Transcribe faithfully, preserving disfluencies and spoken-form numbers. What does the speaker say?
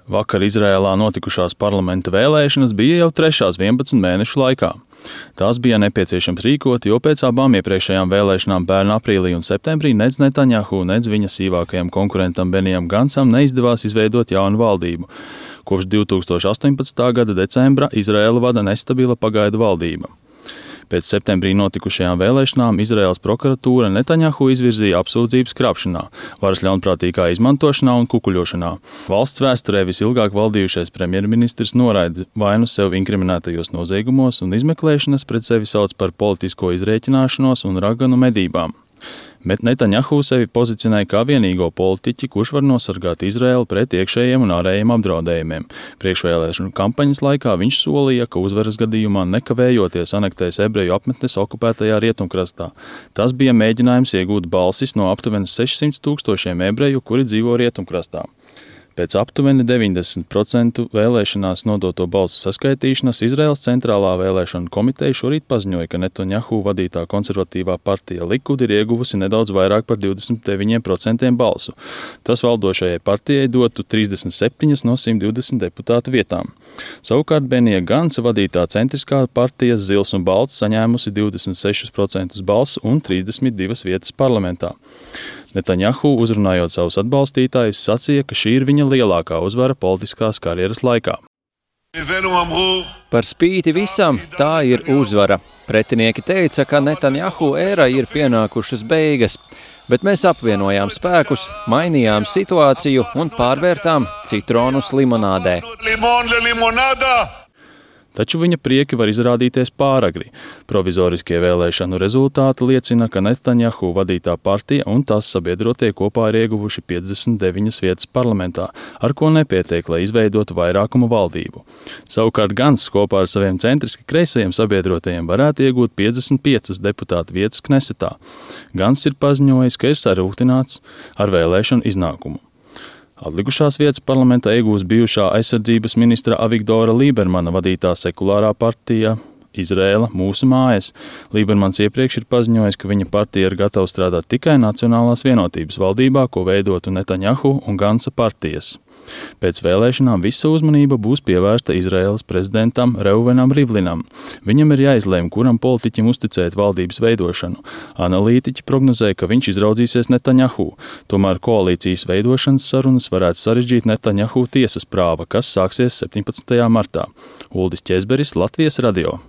Vakar Izrēlā notikušās parlamenta vēlēšanas bija jau trešās vienpadsmit mēnešu laikā. Tās bija nepieciešams rīkot, jo pēc abām iepriekšējām vēlēšanām pērn aprīlī un septembrī nec Netanjahu, nec viņa sīvākajam konkurentam Benijam Gancam neizdevās izveidot jaunu valdību. Kopš divtūkstoš astoņpadsmitā gada decembra Izraēlu vada nestabila pagaidu valdība. Pēc septembrī notikušajām vēlēšanām Izraēlas prokuratūra Netanjahu izvirzīja apsūdzības krāpšanā, varas ļaunprātīgā izmantošanā un kukuļošanā. Valsts vēsturē visilgāk valdījušais premjerministrs noraida vainu sev inkriminētajos noziegumos un izmeklēšanas pret sevi sauc par politisko izrēķināšanos un raganu medībām. Bet Netanjahu sevi pozicionēja kā vienīgo politiķi, kurš var nosargāt Izraēlu pret iekšējiem un ārējiem apdraudējumiem. Priekšvēlēšanu kampaņas laikā viņš solīja, ka uzvaras gadījumā nekavējoties anektēs ebreju apmetnes okupētajā rietumkrastā. Tas bija mēģinājums iegūt balsis no aptuveni sešsimt tūkstošiem ebreju, kuri dzīvo rietumkrastā. Pēc aptuveni deviņdesmit procentu vēlēšanās nodoto balsu saskaitīšanas Izraēlas centrālā vēlēšanu komiteja šorīt paziņoja, ka Netanjahu vadītā konservatīvā partija Likud ir ieguvusi nedaudz vairāk par divdesmit deviņiem procentiem balsu. Tas valdošajai partijai dotu trīsdesmit septiņas no simt divdesmit deputātu vietām. Savukārt Benija Ganca vadītā centriskā partija Zils un Balts saņēmusi divdesmit sešus procentus balsu un trīsdesmit divas vietas parlamentā. Netanjahu, uzrunājot savus atbalstītājus, sacīja, ka šī ir viņa lielākā uzvara politiskās karjeras laikā. Par spīti visam, tā ir uzvara. Pretinieki teica, ka Netanjahu ēra ir pienākušas beigas, bet mēs apvienojām spēkus, mainījām situāciju un pārvērtām citronus limonādē. Taču viņa prieki var izrādīties pāragri. Provizoriskie vēlēšanu rezultāti liecina, ka Netanjahu vadītā partija un tās sabiedrotie kopā ir ieguvuši piecdesmit deviņas vietas parlamentā, ar ko nepietiek, lai izveidotu vairākumu valdību. Savukārt Gants kopā ar saviem centriski kreisajiem sabiedrotajiem varētu iegūt piecdesmit piecas deputātu vietas Knesetā. Gants ir paziņojis, ka ir sarūktināts ar vēlēšanu iznākumu. Atlikušās vietas parlamentā iegūs bijušā aizsardzības ministra Avigdora Lībermana vadītā sekulārā partija Izrēla mūsu mājas. Lībermans iepriekš ir paziņojis, ka viņa partija ir gatava strādāt tikai Nacionālās vienotības valdībā, ko veidotu Netanjahu un Ganca partijas. Pēc vēlēšanām visa uzmanība būs pievērsta Izraēlas prezidentam Reuvenam Rivlinam. Viņam ir jāizlēm, kuram politiķim uzticēt valdības veidošanu. Analītiķi prognozē, ka viņš izraudzīsies Netanjahu. Tomēr koalīcijas veidošanas sarunas varētu sarežģīt Netanjahu tiesas prāva, kas sāksies septiņpadsmitajā martā. Uldis Ķezberis, Latvijas radio.